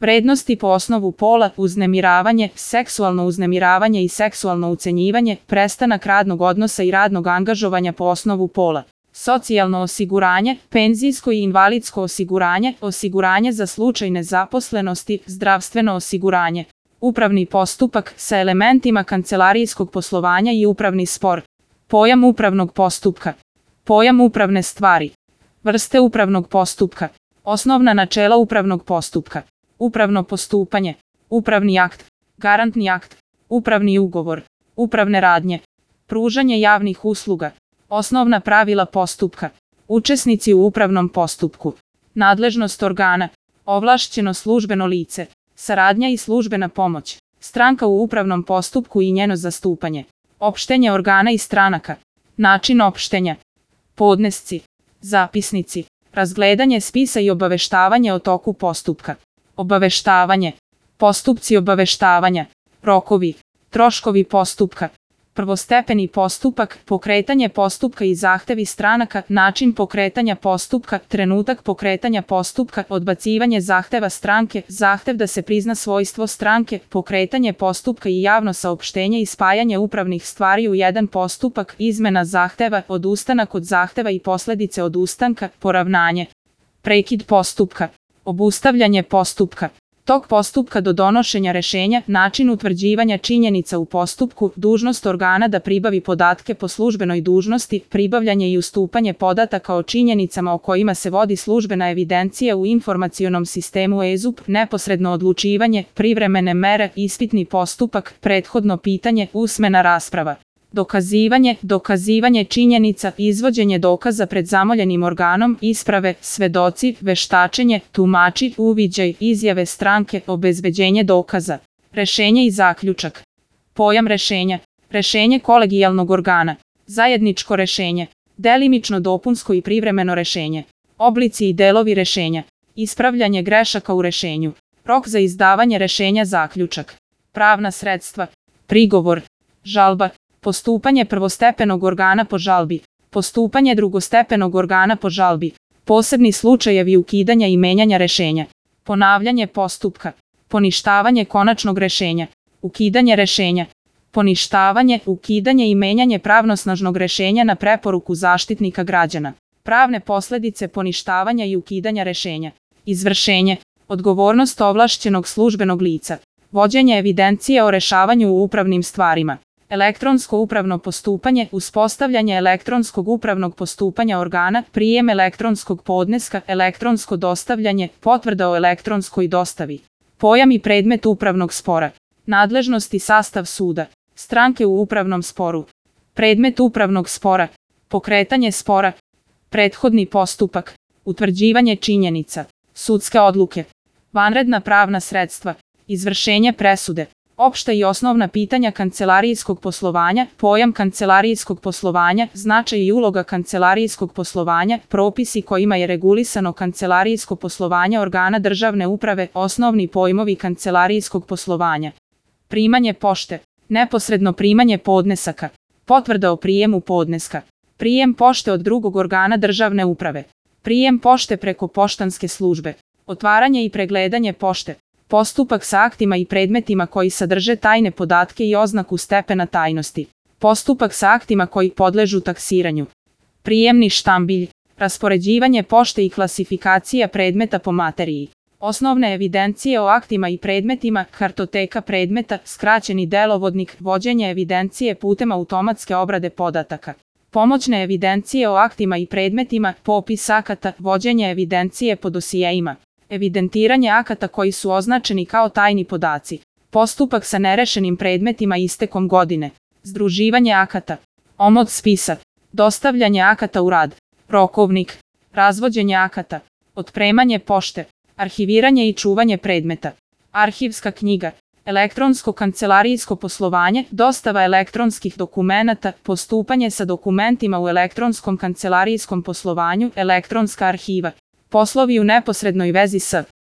Vrednosti po osnovu pola, uznemiravanje, seksualno uznemiravanje i seksualno ucenjivanje, prestanak radnog odnosa i radnog angažovanja po osnovu pola. Socijalno osiguranje, penzijsko i invalidsko osiguranje, osiguranje za slučaj nezaposlenosti, zdravstveno osiguranje. Upravni postupak sa elementima kancelarijskog poslovanja i upravni spor. Pojam upravnog postupka. Pojam upravne stvari. Vrste upravnog postupka. Osnovna načela upravnog postupka. Upravno postupanje. Upravni akt. Garantni akt. Upravni ugovor. Upravne radnje. Pružanje javnih usluga. Osnovna pravila postupka. Učesnici u upravnom postupku. Nadležnost organa. Ovlašćeno službeno lice. Saradnja i službena pomoć. Stranka u upravnom postupku i njeno zastupanje. Opštenje organa i stranaka. Način opštenja. Podnesci. Zapisnici. Razgledanje spisa i obaveštavanje o toku postupka. Obaveštavanje. Postupci obaveštavanja. Rokovi. Troškovi postupka. Prvostepeni postupak, pokretanje postupka i zahtevi stranaka, način pokretanja postupka, trenutak pokretanja postupka, odbacivanje zahteva stranke, zahtev da se prizna svojstvo stranke, pokretanje postupka i javno saopštenje i spajanje upravnih stvari u jedan postupak, izmena zahteva, odustanak od zahteva i posledice odustanka, poravnanje. Prekid postupka. Obustavljanje postupka. Tok postupka do donošenja rešenja, način utvrđivanja činjenica u postupku, dužnost organa da pribavi podatke po službenoj dužnosti, pribavljanje i ustupanje podataka o činjenicama o kojima se vodi službena evidencija u informacionom sistemu EZUP, neposredno odlučivanje, privremene mere, ispitni postupak, prethodno pitanje, usmena rasprava. Dokazivanje činjenica, izvođenje dokaza pred zamoljenim organom, isprave, svedoci, veštačenje, tumači, uviđaj, izjave stranke, obezbeđenje dokaza. Rešenje i zaključak. Pojam rešenja. Rešenje kolegijalnog organa. Zajedničko rešenje. Delimično dopunsko i privremeno rešenje. Oblici i delovi rešenja. Ispravljanje grešaka u rešenju. Rok za izdavanje rešenja, zaključak. Pravna sredstva. Prigovor. Žalba. Postupanje prvostepenog organa po žalbi. Postupanje drugostepenog organa po žalbi. Posebni slučajevi ukidanja i menjanja rešenja. Ponavljanje postupka. Poništavanje konačnog rešenja. Ukidanje rešenja. Poništavanje, ukidanje i menjanje pravnosnažnog rešenja na preporuku Zaštitnika građana. Pravne posledice poništavanja i ukidanja rešenja. Izvršenje. Odgovornost ovlašćenog službenog lica. Vođenje evidencije o rešavanju u upravnim stvarima. Elektronsko upravno postupanje, uspostavljanje elektronskog upravnog postupanja organa, prijem elektronskog podneska, elektronsko dostavljanje, potvrda o elektronskoj dostavi. Pojam i predmet upravnog spora. Nadležnost i sastav suda. Stranke u upravnom sporu. Predmet upravnog spora. Pokretanje spora. Prethodni postupak. Utvrđivanje činjenica. Sudske odluke. Vanredna pravna sredstva. Izvršenje presude. Opšta i osnovna pitanja kancelarijskog poslovanja, pojam kancelarijskog poslovanja, značaj i uloga kancelarijskog poslovanja, propisi kojima je regulisano kancelarijsko poslovanje organa državne uprave, osnovni pojmovi kancelarijskog poslovanja. Primanje pošte. Neposredno primanje podnesaka. Potvrda o prijemu podneska. Prijem pošte od drugog organa državne uprave. Prijem pošte preko poštanske službe. Otvaranje i pregledanje pošte. Postupak sa aktima i predmetima koji sadrže tajne podatke i oznaku stepena tajnosti. Postupak sa aktima koji podležu taksiranju. Prijemni štambilj. Raspoređivanje pošte i klasifikacija predmeta po materiji. Osnovne evidencije o aktima i predmetima, kartoteka predmeta, skraćeni delovodnik, vođenje evidencije putem automatske obrade podataka. Pomoćne evidencije o aktima i predmetima, popis akata, vođenje evidencije po dosijeima. Evidentiranje akata koji su označeni kao tajni podaci. Postupak sa nerešenim predmetima istekom godine. Združivanje akata. Omot spisa. Dostavljanje akata u rad. Rokovnik. Razvođenje akata. Otpremanje pošte. Arhiviranje i čuvanje predmeta. Arhivska knjiga. Elektronsko kancelarijsko poslovanje, dostava elektronskih dokumenata, postupanje sa dokumentima u elektronskom kancelarijskom poslovanju, elektronska arhiva. Poslovi u neposrednoj vezi s